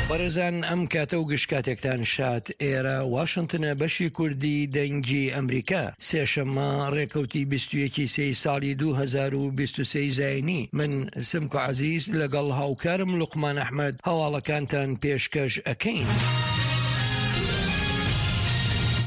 بەڕێزان ئەم کاتە و گشت کاتێکتان شاد ئێرە واشنتنە بەشی کوردی دەنگی ئەمریکا سێشەممە ڕێکەوتی 21 سێی ساڵی 2023 زینی من سمکۆ عەزیز لەگەڵ هاوکارم لوقمان ئەحمەد هەواڵەکانتان پێشکەش ئەکەین.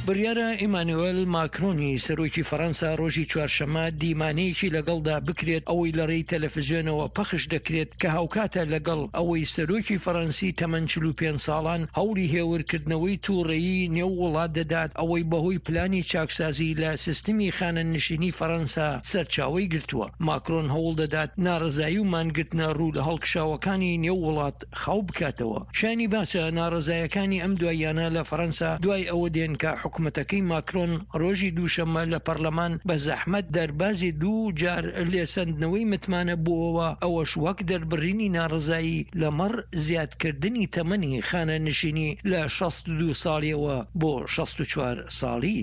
بڕیارە ئیمانوێل ماکرۆنی سەرۆکی فەرەنسا ڕۆژی چوارشەممە دیمانەیەکی لەگەڵدا بکرێت ئەوەی لە ڕێی تەلەفزیۆنەوە پەخش دەکرێت کە هاوکاتە لەگەڵ ئەوەی سەرۆکی فەرەنسی تەمەن 45 ساڵان هەوڵی هێورکردنەوەی تووڕەیی نێو وڵات دەدات ئەوەی بەهۆی پلانی چاکسازی لە سیستمی خانەنشینی فەرەنسا سەرچاوەی گرتووە. ماکرۆن هەوڵ دەدات ناڕەزایی و مانگرتنە ڕوو لە هەڵکشاوەکانی نێو وڵات خاو بکاتەوە. شایانی باسە ناڕەزایەکانی ئەم دواییانە لە فەرەنسا دوای ئەوە دێن کە حکومەتەکەی ماکرۆن ڕۆژی دووشەممە لە پەرلەمان بە زەحمەت دەربازی دوو جار لێسەندنەوەی متمانە بووەوە، ئەوەش وەک دەربڕینی ناڕەزایی لەمەڕ زیادکردنی تەمەنی خانەنشینی لە 62 ساڵیەوە بۆ 64 ساڵی.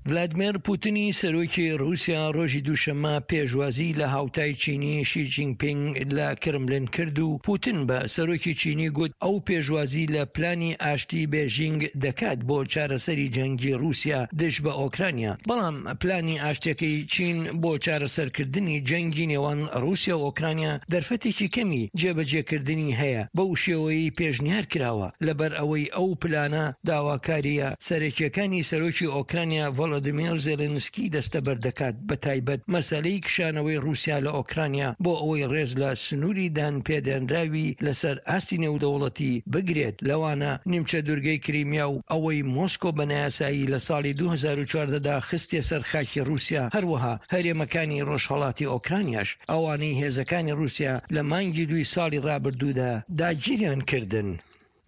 ڤلادمێر پوتنی سەرۆکی ڕووسیا ڕۆژی دووشەممە پێشوازی لە هاوتای چینی شی جینپینگ لە کرملن کرد و پوتن بە سەرۆکی چینی گوت ئەو پێشوازی لە پلانی ئاشتی بێژینگ دەکات بۆ چارەسەری جەنگی ڕووسیا دژ بە ئۆکرانیا، بەڵام پلانی ئاشتیەکەی چین بۆ چارەسەرکردنی جەنگی نێوان ڕووسیا و ئۆکرانیا دەرفەتێکی کەمی جێبەجێکردنی هەیە بەو شێوەیەی پێشنیار کراوە، لەبەر ئەوەی ئەو پلانە داواکارییە سەرەکییەکانی سەرۆکی ئۆکرانیا ڤۆلۆدیمێر زێلێنسکی دەستەبەر دەکات، بەتایبەت مەسەلەی کشانەوەی ڕووسیا لە ئۆکرانیا بۆ ئەوەی ڕێز لە سنووری دانپێدانراوی لەسەر ئاستی نێودەوڵەتی بگرێت، لەوانە نیمچە دوورگەی کریمیا و ئەوەی مۆسکۆ بە نایاسایی لە ساڵی 2014 دا خستیە سەر خاکی ڕووسیا، هەروەها هەرێمەکانی ڕۆژهەڵاتی ئۆکرانیاش، ئەوانەی هێزەکانی ڕووسیا لە مانگی دووی ساڵی ڕابردوودا داگیریان کردن.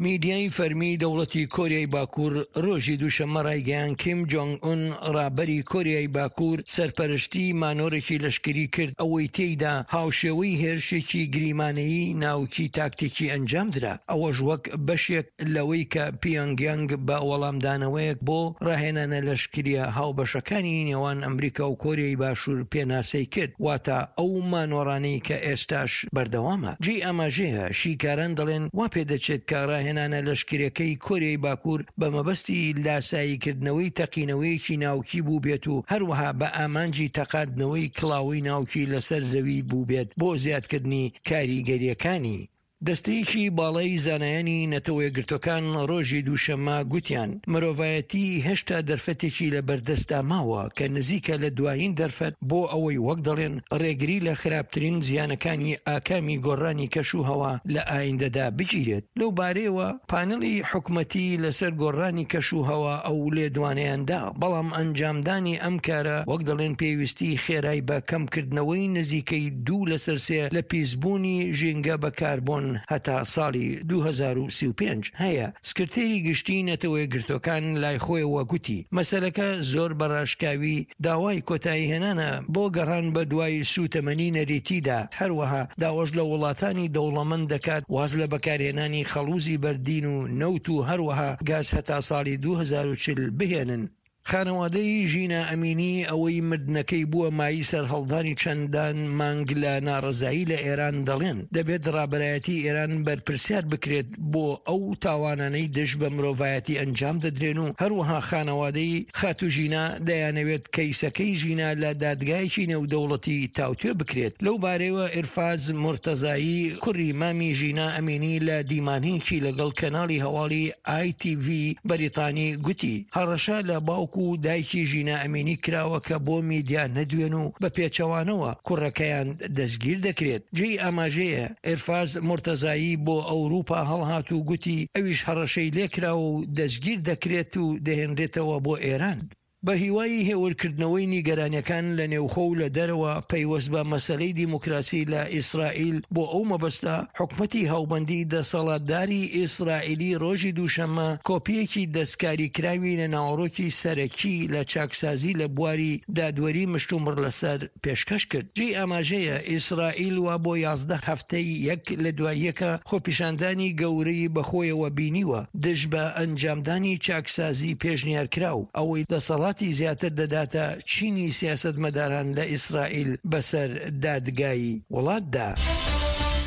میدیای فەرمی دەوڵەتی کۆریای باکوور ڕۆژی دووشەممە ڕایگەیاند کیم جۆنگ ئون ڕابەری کۆریای باکوور سەرپەرشتی مانۆرێکی لەشکری کرد ئەوەی تێیدا هاوشێوەی هێرشێکی گریمانەیی ناوکی تاکتیکی ئەنجامدرا ئەوەش وەک بەشێک لەوەی کە پیۆنگ یانگ بە وەڵامدانەوەیەک بۆ ڕاهێنانە لەشکرییە هاوبەشەکانی نێوان ئەمریکا و کۆریای باشوور پێناسەی کرد واتە ئەو مانۆڕانەی کە ئێستاش بەردەوامە. جێی ئاماژەیە، شیکاران دەڵێن وا پێدەچێت کە ڕاهێنانە لەشکرییەکەی کۆریای باکوور بە مەبەستی لاساییکردنەوەی تەقینەوەیەکی ناوکی بووبێت و هەروەها بە ئامانجی تەقاندنەوەی کڵاوەی ناوکی لەسەر زەوی بووبێت بۆ زیادکردنی کاریگەرییەکانی. دەستەیەکی باڵای زانایانی نەتەوەیەکگرتوەکان ڕۆژی دووشەممە گوتیان مرۆڤایەتی هێشتا دەرفەتێکی لە بەردەستدا ماوە کە نزیکە لە دوایین دەرفەت بۆ ئەوەی وەک دەڵێن ڕێگری لە خراپترین زیانەکانی ئاکامی گۆڕانی کەش و هەوا لە ئایندەدا بگیرێت. لەو بارەیەوە پانێڵی حکومەتی لەسەر گۆڕانی کەش و هەوا ئەو لێدوانەیان دا، بەڵام ئەنجامدانی ئەم کارە وەک دەڵێن پێویستی خێرای بە کەمکردنەوەی نزیکەی دوو لەسەر سێ لە پیسبوونی ژینگە بە کاربۆن هەتا ساڵی 2035 هەیە. سکرتێری گشتیی نەتەوەیەکگرتووەکان لای خۆیەوە گوتی، مەسەلەکە زۆر بە ڕاشکاوی داوای کۆتاییهێنانە بۆ گەڕان بە دوای سووتەمەنی نەریتیدا، هەروەها داواش لە وڵاتانی دەوڵەمەند دەکات واز لە بەکارهێنانی خەڵووزی بەردین و نەوت و هەروەها گاز هەتا ساڵی 2040 بهێنن. خانەوادەی ژینا ئەمینی ئەوەی مردنەکەی بووە مایەی سەرهەڵدانی چەندان مانگ لە ناڕەزایی لە ئێران دەڵێن، دەبێت ڕابەرایەتی ئێران بەرپرسیار بکرێت بۆ ئەو تاوانانەی دژ بە مرۆڤایەتی ئەنجام دەدرێن و هەروەها خانەوادەی خاتوو ژینا دەیانەوێت کەیسەکەی ژینا لە دادگایەکی نێودەوڵەتی تاوتوێ بکرێت. لەو بارەیەوە ئیرفاز مورتەزایی کوڕی مامی ژینا ئەمینی لە دیمانەیەکی لەگەڵ کەناڵی هەواڵی ئای تی ڤی بەریتانی گوتی، هەڕەشە لە باوک و دایکی ژینا ئەمینی کراوە کە بۆ میدیا نەدوێن و بە پێچەوانەوە کوڕەکەیان دەستگیر دەکرێت. جێی ئاماژەیە ئیرفاز مورتەزایی بۆ ئەوروپا هەڵهات و گوتی ئەویش هەڕەشەی لێکراوە و دەستگیر دەکرێت و دەهێنرێتەوە بۆ ئێران. بە هیوای هێورکردنەوەی نیگەرانیەکان لە نێوخۆ و لە دەرەوە پەیوەست بە مەسەلەی دیموکراسی لە ئیسرائیل، بۆ ئەو مەبەستە حکومەتی هاوبەندی دەسەڵاتداری ئیسرائیلی ڕۆژی دووشەممە کۆپییەکی دەستکاریکراوی لە ناوەڕۆکی سەرەکی لە چاکسازی لە بواری دادوەری مشتومڕ لەسەر پێشکەش کرد. جێی ئاماژەیە ئیسرائیل وا بۆ 11 هەفتەی یەک لە دوای یەکە خۆپیشاندانی گەورەی بەخۆیەوە بینیوە دژ بە ئەنجامدانی چاکسازی پێشنیارکراو، ئەوەی دەسەڵاتی زیاتر دەداتە چینی سیاسەتمەداران لە ئیسرائیل بەسەر دادگای وڵاتدا.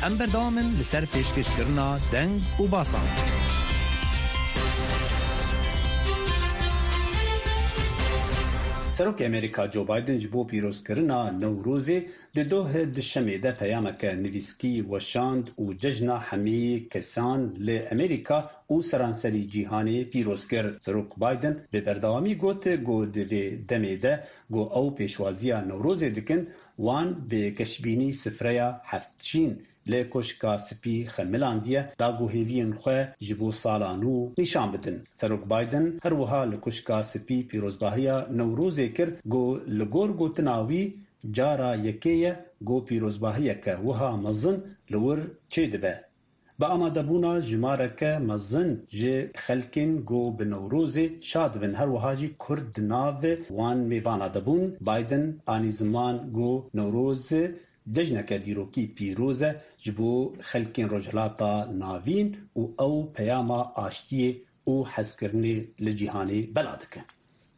ئەم بەردەوامن لەسەر پێشکەشکردنا دەنگ و باسان. Serokê Amerîka Joe Biden ji bo pîrozkirina Newrozê di doh Duşemê de peyameke nivîskî weşand û cejna hemî kesan li Amerîka û seranserî cîhanê pîroz kir. Serok Biden bi berdewamî got ku di vê demê de ku ew pêşwaziya Newrozê dikin, wan bi geşbînî sifreya heftşîn li Koşka Spî xemilandiye da ku hêviyên xwe ji bo sala nû nîşan bidin. Serok Biden her wiha li Koşka Spî pîrozbahiya Newrozê kir ku li gor gotina wî cara yekê ye ku pîrozbahiyeke wiha mezin li wir çêdibe. Bi amadebûna jimareke mezin ji xelkên ku bi Newrozê şa dibin her wiha jî Kurd di nav wan mêvana de bûn, Biden anî ziman ku Newroz cejneke dîrokî pîroz e ji bo xelkên Rojhilata Navîn û ew peyama aştiyê û hezkirinê li cîhanê bela dike.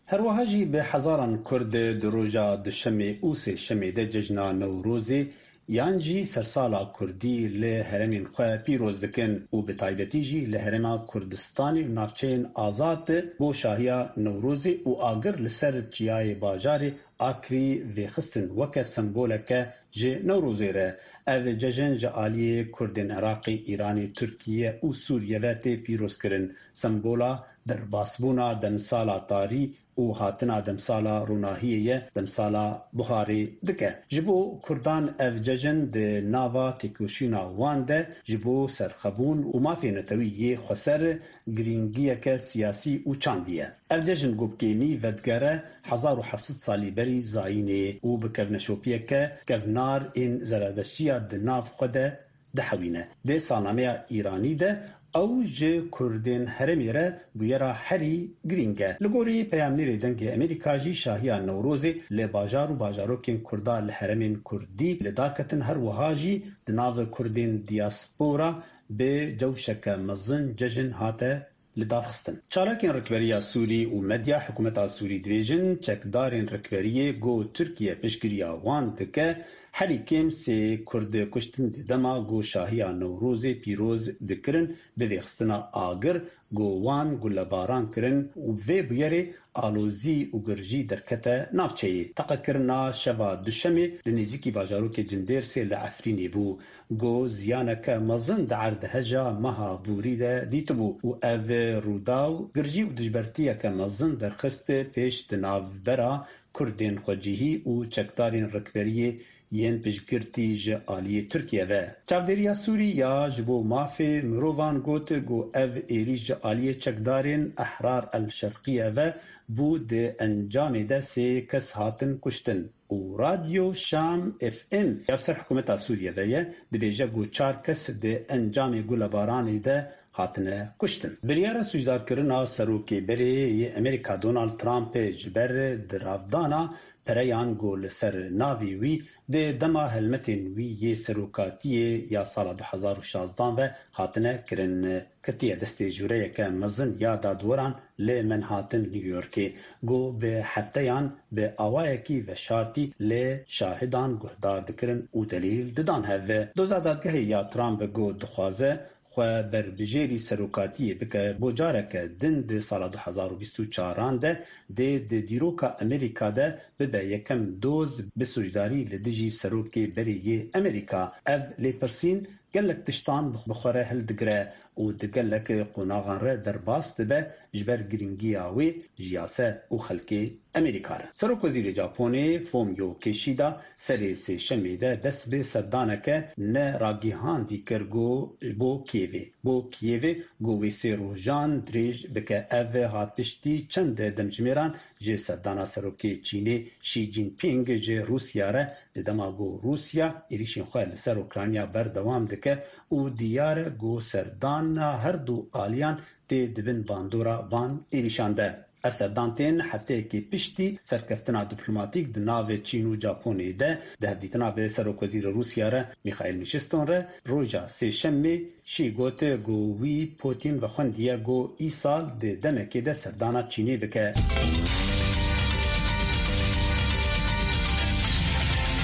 Her wiha jî bi hezaran Kurd di roja Duşemê û Sêşemê de cejna Newrozê yan jî sersala Kurdî li herêmên xwe pîroz dikin û bi taybetî jî li Herêma Kurdistanê û navçeyên azad bo şahiya Newrozê û agir li ser çiyayê bajarê Akrî vêxistin weke semboleke ji Newrozê re. Ev cejn ji aliyê Kurdên Iraqê, Îranê, Tirkiye û Sûriye ve tê pîrozkirin. Sembola Derbasbûna demsala tarî û hatina demsala ronahiyê ye, demsala buharê dike. Ji bo Kurdan ev cejn di nava têkoşîna wan de ji bo serxwebûn û mafê netewî yê xweser girîngiyeke siyasî û çandî ye. Ev cejn ku bi kêmî vedigere 1700 salî berî zayînê û bi kevneşopiyeke kevnar ên zeredeştiya di nav xwe de dihewîne. Di salnameya Îranî de ew ji Kurdên herêmê re bûyera herî girîng e. Li gorî peyamnêrê Dengê Amerîka jî şahiya Newrozê li bajar û bajarokên Kurda li herêmên Kurdî li dar ketin her wiha jî di nav Kurdên diyaspora bi cewşeke mezin cejn hate lidarxistin. Çalakên rikberiya Sûrî û medya hikûmeta Sûrî dibêjin çekdarên rikberiyê ku Tirkiye piştgiriya wan dike herî kêm sê Kurd kuştin di dema ku şahiya Newrozê pîroz dikirin bi vêxistina agir ku wan gulebaran kirin û bi vê bûyerê alozî û girjî derkete navçeyê. Teqekirina şeva Duşemê li nêzîkî bajarokê Cindêrsê li Efrînê bû. Ku ziyaneke mezin di erdheja meha borî de dîtibû û ev rûdaw girjî û dijbertiyeke mezin derxist pêş di navbera Kurdên xwecihî û çekdarên rikberiyê yên piştgirtî ji aliyê Tirkiye ve. Çavdêriya Sûrî ya ji bo mafê mirovan got ku ev êrîş ji aliyê çekdarên Ehrar El Şerqiye ve bû di encamê de sê kes hatin kuştin. Û Radyo Şam FM ya bi ser hikûmeta Sûriye ve ye, dibêje ku çar kes di encamê gulebaranê de hatine kuştin. Biryara sûcdarkirina Serokê berê yê Amerîka Donald Trump ji ber diravdana pereyan ku li ser navê wî di dema helmetên wî yê serokatiyê ya sala 2016 ve hatine kirin, Ketiye destê jûreyeke mezin ya dadweran li Manhattan, New Yorkê ku bi hefteyan bi awayekî veşartî li şahidan guhdar dikirin û delîl didan hev. Doza dadgehê ya Trump ku dixwaze xwe berbijêrî serokatiyê bike bo careke din di sala 2024 an de dê di dîroka Amerîka de bibe yekem doz bi sûcdarî li dijî serokê berê yê Amerîka. Ev lêpirsîn gelek tiştan bi xwe re hildigire û di gelek qonaxan re derbas dibe ji ber girîngiya wê ji yase û xelkê Amerîka re. Serokwezîrê Japonê Fumio Kishida serê sêşemê de dest bi serdaneke ne ragîhandî kir ku bo Kîevê bo Kîevê ku wê sê rojan dirêj bike. Ev hat piştî çend demjimêran ji serdana Serokê Çînê Xi Jinping ji Rûsya re di dema ku Rûsya êrîşên xwe li ser Ukrayna berdewam dike û diyar e ku serdana her du aliyan tê di bin bandora van êrîşan de. Ev serdan tên hefteyekê piştî serkeftina dîplomatîk di navê Çîn û Japonê de di hevdîtina bi Serokwezîrê Rûsya re Mîxaîl Mîşiston re roja Sêşemê Şî got ku wî Putîn vexwendiye ku îsal di demekê de serdana Çînê bike.